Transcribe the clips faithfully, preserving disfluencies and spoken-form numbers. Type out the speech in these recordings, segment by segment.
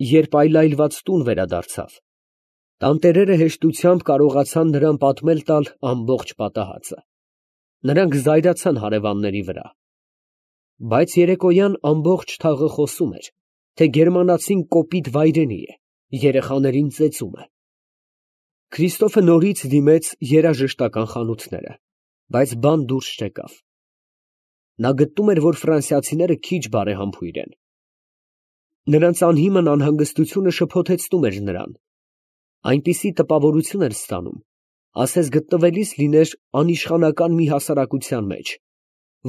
երբ այլայլված տուն վերադարձավ, տանտերերը հեշտությամբ կարողացան նրան պատմել տալ ամբողջ պատահածը. նրանք զայրացան հարևանների վրա, բայց երեկոյան ամբողջ թաղը խոսում էր, թե գերմանացին կոպիտ վայրենի է, երեխաներին ծեծում է։ Քրիստոֆը նորից դիմեց երաժշտական խանութները, բայց բան դուրս չեկավ։ Նա գտնում էր, որ ֆրանսիացիները քիչ բարեհամբույր են։ Նրանց անհիմն անհանգստությունը շփոթեցնում էր նրան, այնպիսի տպավորություն էր ստանում, ասես գտնվելիս լիներ անիշխանական մի հասարակության մեջ,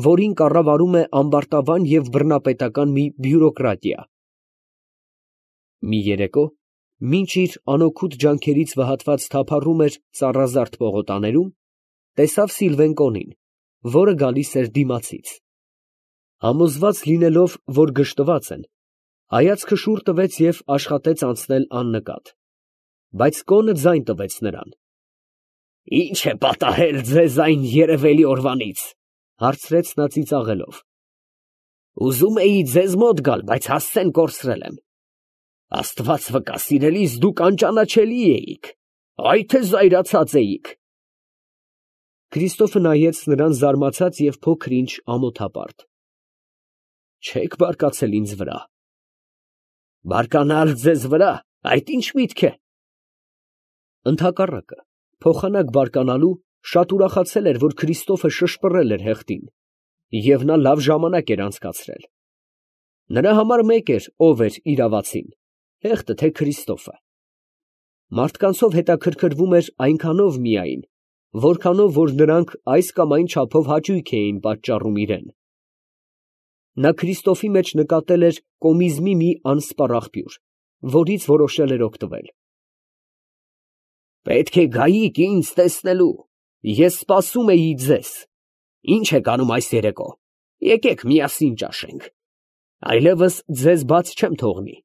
որին կառավարում է ամբարտավան և բռնապետական մի բյուրոկրատիա։ Մի երեկո, մինչ իր անօգուտ ջանքերից վհատված թափառում էր ծառազարդ պողոտաներում, տեսավ Սիլվեն Կոնին, որը գալիս էր դիմացից։ Համոզված լինելով, որ գժտված են, հայացքը շուռ տվեց և աշխատեց անցնել աննկատ, բայց կոնը ձայն տվեց նրան։ ֊ Ի՞նչ է պատահել ձեզ այն երևելի օրվանից, ֊ հարցրեց նա ծիծաղելով։ ֊ Ուզում էի ձեզ մոտ գալ, բայց հասցեն կորցրել եմ։ Աստված վկա, սիրելիս, դուք անճանաչելի էիք, այ թե զայրացած էիք։ Քրիստոֆը նայեց նրան զարմացած և փոքր֊ինչ ամոթապարտ։ Չեք բարկացել ինձ վրա։ Բարկանալ ձեզ վրա, այդ ի՞նչ միտք է։ Ընդհակառակը, փոխանակ բարկանալու, շատ ուրախացել էր, որ Քրիստոֆը շշպռել էր հեղտին, և նա լավ ժամանակ էր անցկացրել։ Նրա համար մեկ էր, ով էր իրավացին, հեղտը թե Քրիստոֆը։ Մարդկանցով հետաքրքրվում էր այնքանով միայն, որքանով որ նրանք այս կամ այն չափով հաճույք էին պատճառում իրեն։ Նա Քրիստոֆի մեջ նկատել էր կոմիզմի մի անսպառ աղբյուր, որից որոշել էր օգտվել։ Պետք է գայիք ինձ տեսնելու, ես սպասում էի ձեզ, ի՞նչ եք անում այս երեկո, եկեք միասին ճաշենք, այլևս ձեզ բաց չեմ թողնի։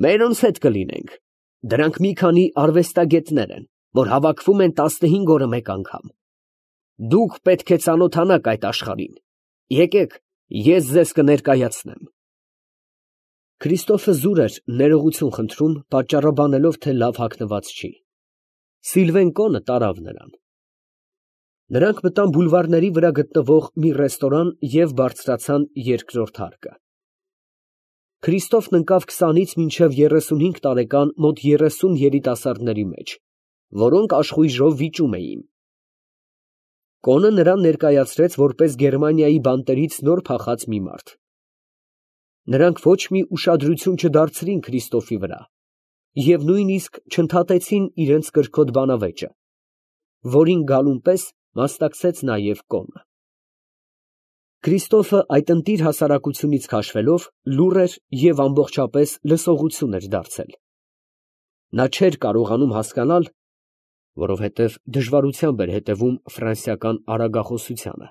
Մերոնց հետ կլինենք, դրանք մի քանի արվեստագետներ են, որ հավաքվում են տասնհինգ օրը մեկ անգամ։ Դուք պետք է ծանոթանաք այդ աշխարհին, եկեք, ես ձեզ կներկայացնեմ։ Քրիստոֆը զուր էր ներողություն խնդրում, պատճառաբանելով, թե լավ հագնված չի։ Սիլվեն Կոնը տարավ նրան։ Նրանք մտան բուլվարների վրա գտնվող մի ռեստորան և բարձրացան երկրորդ հարկը։ Քրիստոֆն ընկավ քսանից մինչև երեսունհինգ տարեկան մոտ երեսուն երիտասարդների մեջ, որոնք աշխույժով վիճում էին։ Կոնը նրան ներկայացրեց որպես Գերմանիայի բանտերից նոր փախած մի մարդ։ Նրանք ոչ մի ուշադրություն չդարձրին Քրիստոֆի վրա և նույնիսկ չընդհատեցին իրենց կրքոտ բանավեճը, որին գալուն պես մասնակցեց նաև կոնը։ Քրիստոֆը այդ ընտիր հասարակությունից քաշվելով լուռ էր և ամբողջապես լսողություն էր դարձել։ Նա չէր կարողանում հասկանալ, որովհետև դժվարությամբ էր հետևում ֆրանսիական արագախոսությանը,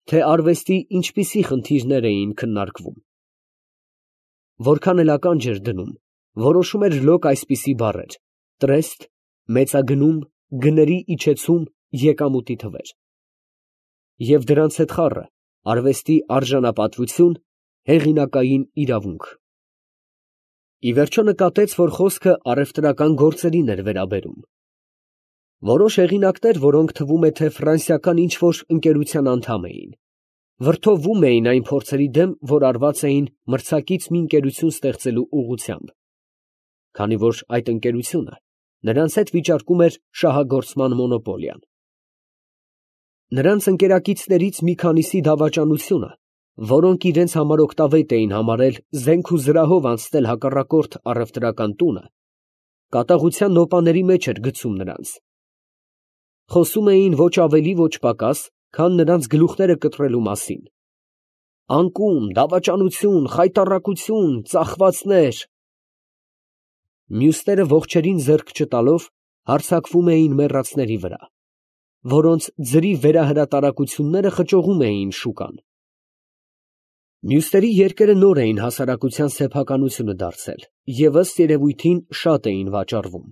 թե արվեստի ինչպիսի խնդիրներ էին քննարկվում։ Որքան էլ ականջ էր դնում, որոշում էր լոկ այսպիսի բառեր. տրեստ, մեծագնում, գների իջեցում, եկամուտի թվեր։ Եվ դրանց հետ խառը արվեստի արժանապատվություն, հեղինակային իրավունք։ Ի վերջո նկատեց, որ խոսքը առևտրական գործերին էր վերաբերում։ Որոշ հեղինակներ, որոնք թվում է, թե ֆրանսիական ինչ-որ ընկերության անդամ էին, վրդովվում էին այն փորձերի դեմ, որ արված էին մրցակից մի ընկերություն ստեղծելու ուղղությամբ, քանի որ այդ ընկերությունը նրանց հետ վիճարկում էր շահագործման մոնոպոլիան։ Նրանց ընկերակիցներից մի քանիսի դավաճանությունը, որոնք իրենց համար օգտավետ էին համարել զենք ու զրահով անցնել հակառակորդ առևտրական տունը, կատաղության նոպաների մեջ էր գցում նրանց։ Խոսում էին ոչ ավելի, ոչ պակաս, քան նրանց գլուխները կտրելու մասին։ Անկում, դավաճանություն, խայտառակություն, ծախվածներ… Մյուսները ողջերին ձեռք չտալով հարձակվում էին մեռածների վրա, որոնց ձրի վերահրատարակությունները խճողում էին շուկան։ Մյուսների երկերը նոր էին հասարակության սեփականությունը դարձել և ըստ երևույթին շատ էին վաճառվում։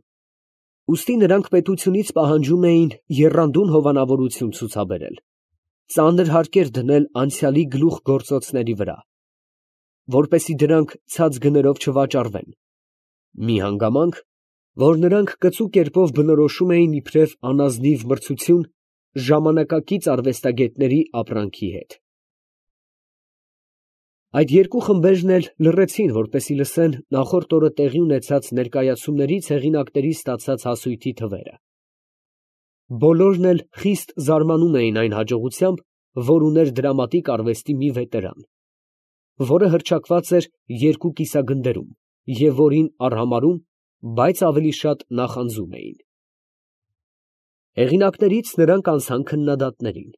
Ուստի նրանք պետությունից պահանջում էին եռանդուն հովանավորություն ցուցաբերել, ծանր հարկեր դնել անցյալի գլուխգործոցների վրա։ որպեսզի դրանք ցած գներով չվաճառվեն, մի հանգամանք, որ նրանք կծու կերպով բնորոշում էին իբրև անազնիվ մրցություն ժամանակակից արվեստագետների ապրանքի հետ։ Այդ երկու խմբերն էլ լռեցին, որպեսզի լսեն նախորդ օրը տեղի ունեցած ներկայացումներից հեղինակների ստացած հասույթի թվերը։ Բոլորն էլ խիստ զարմանում էին այն հաջողությամբ, որ ուներ դրամատիկ արվեստի մի վետերան, որը հռչակված էր երկու կիսագնդերում և որին արհամարհում, բայց ավելի շատ նախանձում էին։ Հեղինակներից նրանք անցան քննադատներին։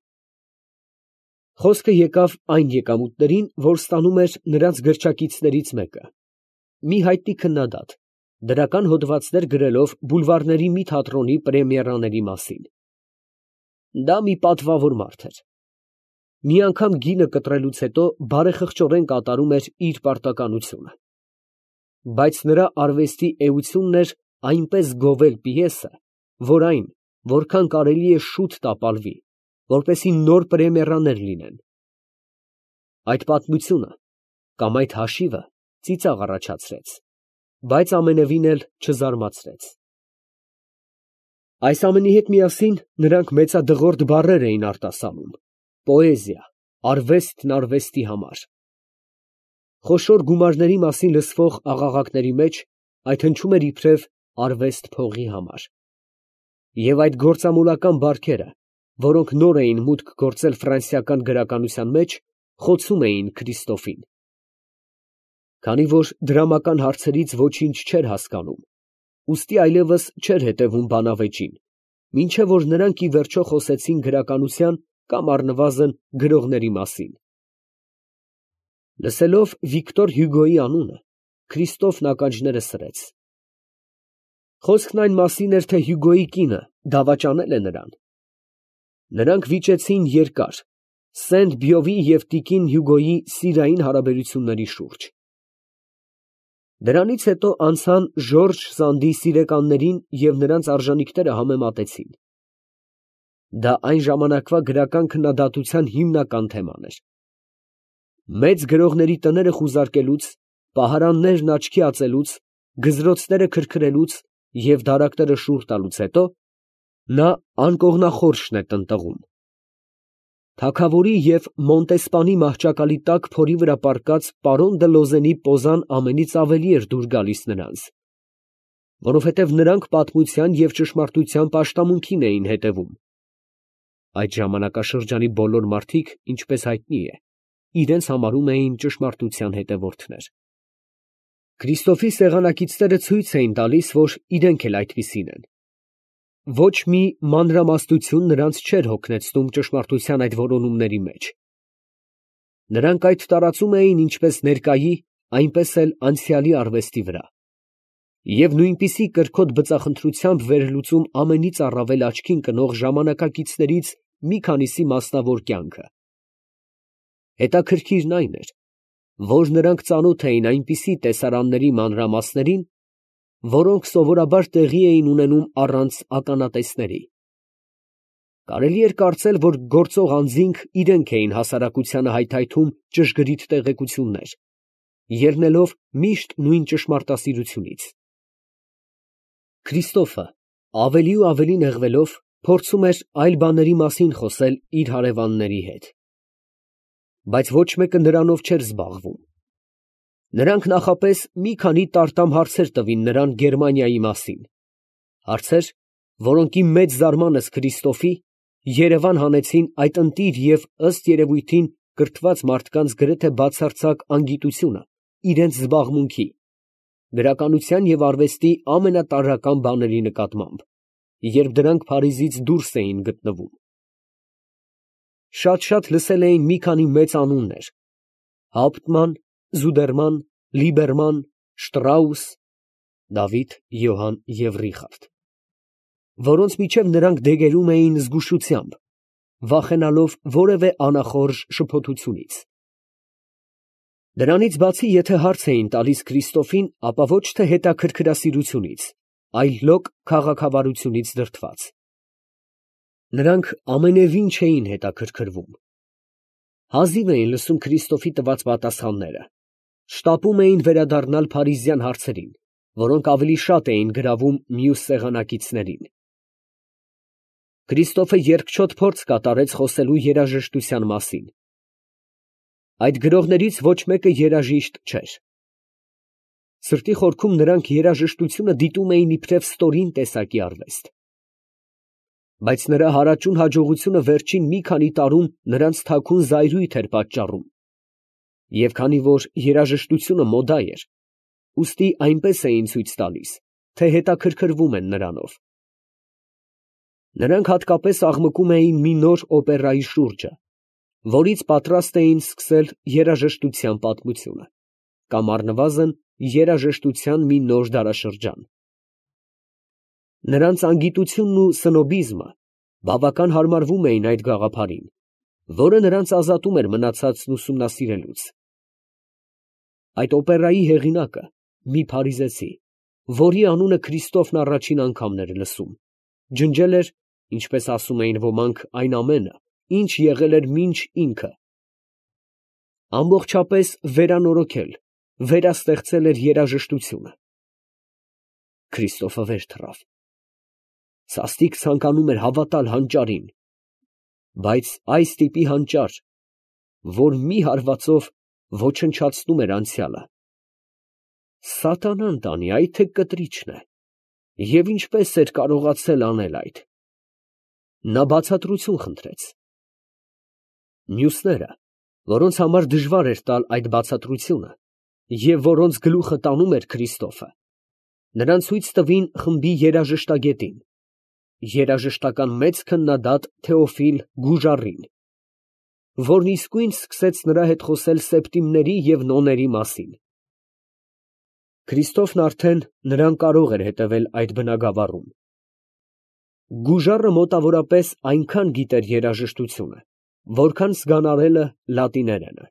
Խոսքը եկավ այն եկամուտներին, որ ստանում էր նրանց գրչակիցներից մեկը, մի հայտնի քննադատ, դրական հոդվածներ գրելով բուլվարների մի թատրոնի պրեմիերաների մասին։ Դա մի պատվավոր մարդ էր։ Մի անգամ գինը կտրելուց հետո բարեխղճորեն կատարում էր իր պարտականությունը։ Բայց նրա արվեստի էությունն էր այնպես գովել պիեսը, որ այն, որքան կարելի է շուտ տապալվի, որպեսզի նոր պրեմիերաներ լինեն։ Այդ պատմությունը կամ այդ հաշիվը ծիծաղ առաջացրեց, բայց ամենևին էլ չզարմացրեց։ Այս ամենի հետ միասին նրանք մեծադղորդ բառեր էին արտասանում. պոեզիա, արվեստն արվեստի համար։ Խոշոր գումարների մասին լսվող աղաղակների մեջ այդ հնչում էր իբրև արվեստ փողի համար։ Եվ այդ գործամոլական բարքերը, որոնք նոր էին մուտք գործել ֆրանսիական գրականության մեջ, խոցում էին Քրիստոֆին։ Քանի որ դրամական հարցերից ոչինչ չէր հասկանում, ուստի այլևս չէր հետևում բանավեճին, մինչև որ նրանք ի վերջո խոսեցին գրականության կամ առնվազն գրողների մասին։ Լսելով Վիկտոր Հյուգոյի անունը, Քրիստոֆն ականջները սրեց։ Խոսքն այն մասին էր, թե Հյուգոյի կինը դավաճանել է նրան։ Նրանք վիճեցին երկար Սենտ֊Բյովի և տիկին Հյուգոյի սիրային հարաբերությունների շուրջ։ Դրանից հետո անցան Ժորժ Սանդի սիրեկաններին և նրանց արժանիքները համեմատեցին։ Դա այն ժամանակվա գրական քննադատության հիմնական թեման էր։ Մեծ գրողների տները խուզարկելուց, պահարաններն աչքի ածելուց, գզրոցները քրքրելուց և դարակները շուռ տալուց հետո, նա անկողնախորշն է տնտղում։ Թագավորի և Մոնտեսպանի մահճակալի տակ փորի վրա պառկած պարոն դը Լոզենի պոզան ամենից ավելի էր դուր գալիս նրանց, որովհետև նրանք պատմության և ճշմարտության պաշտամունքին էին հետևում։ Այդ ժամանակաշրջանի բոլոր մարդիկ, ինչպես հայտնի է, իրենց համարում էին ճշմարտության հետևորդներ։ Քրիստոֆի սեղանակիցները ցույց էին տալիս, որ իրենք էլ այդպիսին են։ Ոչ մի մանրամասնություն նրանց չէր հոգնեցնում ճշմարտության այդ որոնումների մեջ։ Նրանք այդ տարածում էին ինչպես ներկայի, այնպես էլ անցյալի արվեստի վրա և նույնպիսի կրքոտ բծախնդրությամբ վերլուծում ամենից առավել աչքին կնող ժամանակակիցներից մի քանիսի մասնավոր կյանքը։ Հետաքրքիրն այն էր, որ նրանք ծանոթ էին այնպիսի տեսարանների մանրամասներին, որոնք սովորաբար տեղի էին ունենում առանց ականատեսների։ Կարելի էր կարծել, որ գործող անձինք իրենք էին հասարակությանը հայթայթում ճշգրիտ տեղեկություններ, ելնելով միշտ նույն ճշմարտասիրությունից։ Քրիստոֆը, ավելի ու ավելի նեղվելով, փորձում էր այլ բաների մասին խոսել իր հարևանների հետ։ Բայց ոչ մեկը նրանով չէր զբաղվում։ Նրանք նախապես մի քանի տարտամ հարցեր տվին նրան Գերմանիայի մասին, հարցեր, որոնք ի մեծ զարմանս Քրիստոֆի Երևան հանեցին այդ ընտիր և ըստ երևույթին կրթված մարդկանց գրեթե բացարձակ անգիտությունը իրենց զբաղմունքի, գրականության և արվեստի ամենատարրական բաների նկատմամբ, երբ դրանք Փարիզից դուրս էին գտնվում։ Շատ֊շատ լսել էին մի քանի մեծ անուններ. Հապտման, Զուդերման, Լիբերման, Շտրաուս, Դավիթ, Յոհան և Ռիխարդ, որոնց միջև նրանք դեգերում էին զգուշությամբ, վախենալով որևէ անախորժ շփոթությունից։ Դրանից բացի, եթե հարց էին տալիս Քրիստոֆին, ապա ոչ թե հետաքրքրասիրությունից, այլ լոկ քաղաքավարությունից դրդված։ Նրանք ամենևին չէին հետաքրքրվում։ Հազիվ էին լսում Քրիստոֆի տված պատասխանները, Շտապում էին վերադառնալ փարիզյան հարցերին, որոնք ավելի շատ էին գրավում մյուս սեղանակիցներին։ Քրիստոֆը երկչոտ փորձ կատարեց խոսելու երաժշտության մասին։ Այդ գրողներից ոչ մեկը երաժիշտ չէր։ Սրտի խորքում նրանք երաժշտությունը դիտում էին իբրև ստորին տեսակի արվեստ։ Բայց նրա հարաճուն հաջողությունը վերջին մի քանի տարում նրանց թաքուն զայրույթ էր պատճառում, և քանի որ երաժշտությունը մոդա էր, ուստի այնպես էին ցույց տալիս, թե հետաքրքրվում են նրանով։ Նրանք հատկապես աղմկում էին մի նոր օպերայի շուրջը, որից պատրաստ էին սկսել երաժշտության պատմությունը, կամ առնվազն երաժշտության մի նոր դարաշրջան։ Նրանց անգիտությունն ու սնոբիզմը բավական հարմարվում էին այդ գաղափարին, որը նրանց ազատում էր մնացածն ուսումնասիրելուց։ Այդ օպերայի հեղինակը մի փարիզեցի, որի անունը Քրիստոֆն առաջին անգամն էր լսում, ջնջել էր, ինչպես ասում էին ոմանք, այն ամենը, ինչ եղել էր մինչ ինքը, ամբողջապես վերանորոգել, վերաստեղծել էր երաժշտությունը։ Քրիստոֆը վեր թռավ։ Սաստիկ ցանկանում էր հավատալ հանճարին, բայց այս տիպի հանճար, որ մի հարվածով ոչնչացնում էր անցյալը։ Սատանան տանի, այդ թե կտրիչն է, և ինչպես էր կարողացել անել այդ։ Նա բացատրություն խնդրեց։ Մյուսները, որոնց համար դժվար էր տալ այդ բացատրությունը, և որոնց գլուխը տանում էր Քրիստոֆը, նրան ցույց տվին խմբի երաժշտագետին, երաժշտական մեծ քննադատ Թեոֆիլ Գուժարին, որն իսկույն սկսեց նրա հետ խոսել սեպտիմների և նոների մասին։ Քրիստոֆն արդեն նրան կարող էր հետևել այդ բնագավառում։ Գուժարը մոտավորապես այնքան գիտեր երաժշտությունը, որքան զգանարելը լատիներենը։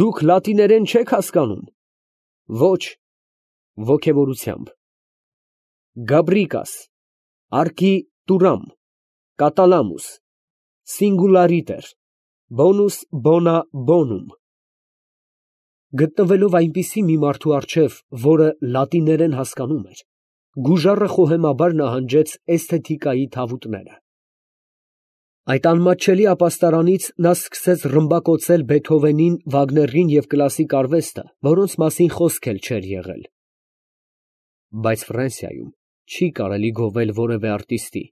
Դուք լատիներեն չե՞ք հասկանում։ Ոչ, ոգևորությամբ։ Գաբրիկաս, արկի տուրամ, կատալամուս, սինգուլարիտեր, բոնուս բոնա բոնում։ Գտնվելով այնպիսի մի մարդու առջև, որը լատիներեն հասկանում էր, Գուժարը խոհեմաբար նահանջեց էսթետիկայի թավուտները։ Այդ անմատչելի ապաստարանից նա սկսեց ռմբակոծել Բեթհովենին, Վագներին և կլասիկ արվեստը, որոնց մասին խոսք էլ չէր եղել։ Բայց Ֆրանսիայում չի կարելի գովել որևէ արտիստի,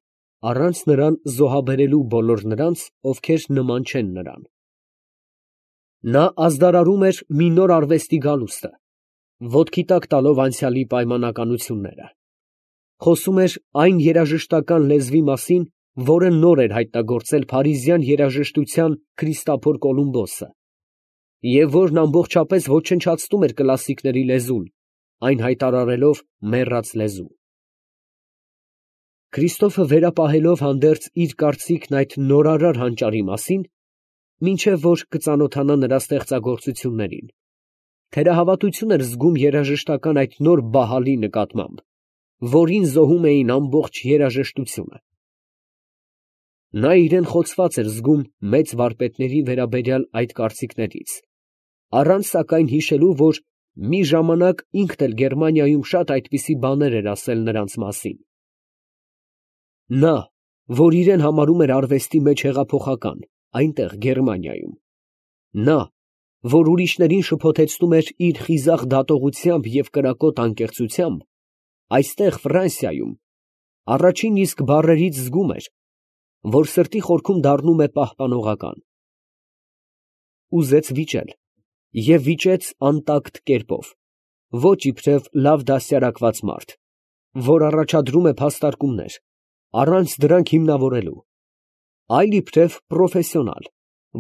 առանց նրան զոհաբերելու բոլոր նրանց, ովքեր նման չեն նրան։ Նա ազդարարում էր մի նոր արվեստի գալուստը, ոտքի տակ տալով անցյալի պայմանականությունները։ Խոսում էր այն երաժշտական լեզվի մասին, որը նոր էր հայտնագործել փարիզյան երաժշտության Քրիստափոր Կոլումբոսը, և որն ամբողջապես ոչնչացնում էր կլասիկների լեզուն, այն հայտարարելով մեռած լեզու։ Քրիստոֆը վերապահելով հանդերձ իր կարծիքն այդ նորարար հանճարի մասին, մինչև որ կծանոթանա նրա ստեղծագործություններին, թերահավատություն էր զգում երաժշտական այդ նոր բահալի նկատմամբ, որին զոհում էին ամբողջ երաժշտությունը։ Նա իրեն խոցված էր զգում մեծ վարպետների վերաբերյալ այդ կարծիքներից, առանց սակայն հիշելու, որ մի ժամանակ ինքն էլ Գերմանիայում շատ այդպիսի բաներ էր ասել նրանց մասին։ Նա, որ իրեն համարում էր արվեստի մեջ հեղափոխական, այնտեղ Գերմանիայում, նա, որ ուրիշներին շփոթեցնում էր իր խիզախ դատողությամբ և կրակոտ անկեղծությամբ, այստեղ Ֆրանսիայում առաջին իսկ բառերից զգում էր, որ սրտի խորքում դառնում է պահպանողական։ Ուզեց վիճել և վիճեց անտակտ կերպով, ոչ իբրև լավ դաստիարակված մարդ, որ առաջադրում է փաստարկումներ, առանց դրանք հիմնավորելու, այլ իբրև պրոֆեսիոնալ,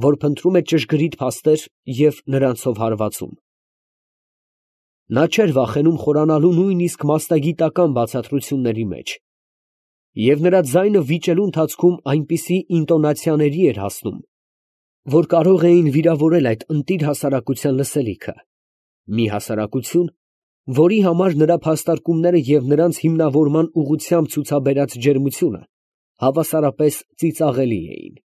որ փնտրում է ճշգրիտ փաստեր և նրանցով հարվածում։ Նա չէր վախենում խորանալու նույնիսկ մասնագիտական բացատրությունների մեջ, և նրա ձայնը վիճելու ընթացքում այնպիսի ինտոնացիաների էր հասնում, որ կարող էին վիրավորել այդ ընտիր հասարակության լսելիքը, մի հասարակություն, որի համար նրա փաստարկումները և նրանց հիմնավորման ուղղությամբ ցուցաբերած ջերմությունը հավասարապես ծիծաղելի էին։